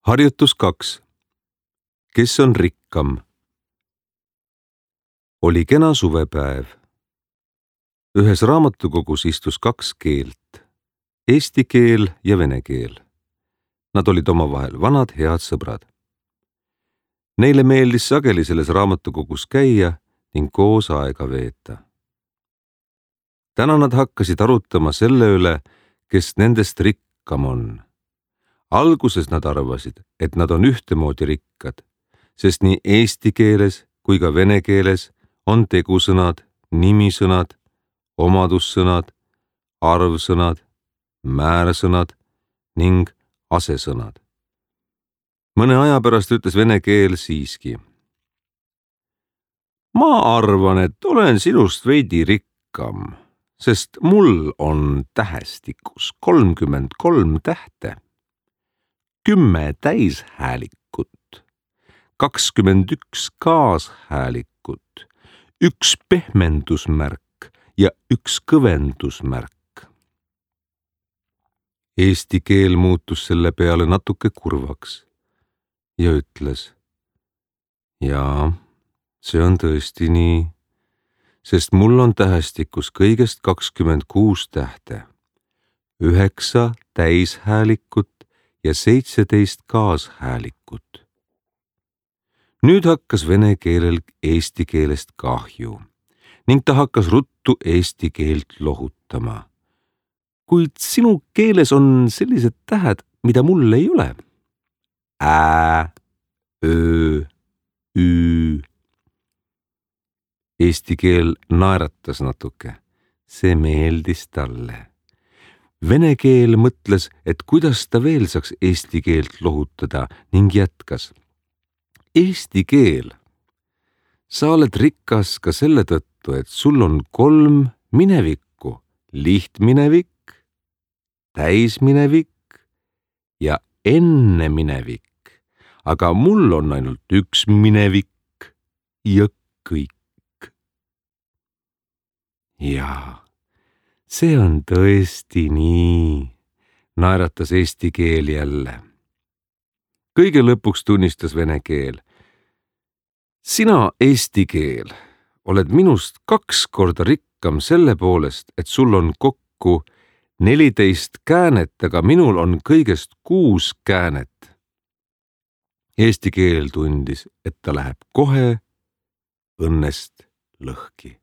Harjutus 2. Kes on rikkam? Oli kena suvepäev. Ühes raamatukogus istus kaks keelt, eesti keel ja vene keel. Nad olid omavahel vanad head sõbrad. Neile meeldis sageli selles raamatukogus käia ning koos aega veeta. Täna nad hakkasid arutama selle üle, kes nendest rikkam on. Alguses nad arvasid, et nad on ühtemoodi rikkad, sest nii eesti keeles kui ka vene keeles on tegusõnad, nimisõnad, omadussõnad, arvsõnad, määrsõnad ning asesõnad. Mõne aja pärast ütles vene keel siiski: ma arvan, et olen sinust veidi rikkam, sest mul on tähestikus 33 tähte. 10 täishäälikut, 21 kaashäälikut, 1 pehmendusmärk ja 1 kõvendusmärk. Eesti keel muutus selle peale natuke kurvaks ja ütles: jaa, see on tõesti nii, sest mul on tähestikus kõigest 26 tähte, 9 täishäälikut ja 17 kaashäälikut. Nüüd hakkas vene keelel eesti keelest kahju ning ta hakkas ruttu eesti keelt lohutama. Kuid sinu keeles on sellised tähed, mida mul ei ole. Ä, öö, üü. Eesti keel naeratas natuke. See meeldis talle. Vene keel mõtles, et kuidas ta veel saaks eesti keelt lohutada ning jätkas: Eesti keel, sa oled rikas ka selle tõttu, et sul on 3 minevikku: lihtminevik, täisminevik ja enneminevik, aga mul on ainult 1 minevik ja kõik. Jaa. See on tõesti nii, naeratas eesti keel jälle. Kõige lõpuks tunnistas vene keel: sina, eesti keel, oled minust 2 korda rikkam selle poolest, et sul on kokku 14 käänet, aga minul on kõigest 6 käänet. Eesti keel tundis, et ta läheb kohe õnnest lõhki.